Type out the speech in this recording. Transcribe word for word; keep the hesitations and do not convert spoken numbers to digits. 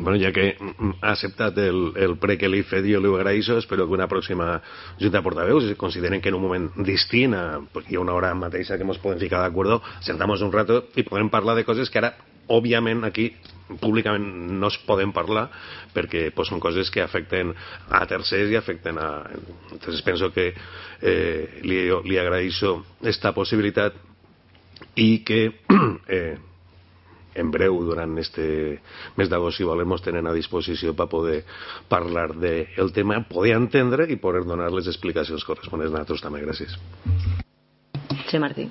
bueno, ja que ha acceptat el, el pre que li he fet, jo li ho agraeixo. Espero que una pròxima junta de portaveus, si consideren que en un moment distint, a, pues hi ha una hora mateixa que ens podem ficar d'acord, sentamos un rato i podem parlar de coses que ara, òbviament, aquí públicament no es poden parlar perquè pues, són coses que afecten a tercers i afecten a... Entonces penso que eh, li, li agraeixo esta possibilitat i que eh, en breu, durant este mes d'agost, si volem, ens tenen a disposició per poder parlar del tema, poder entendre i poder donar les explicacions corresponents a nosaltres també. Gràcies. Sí, Martí.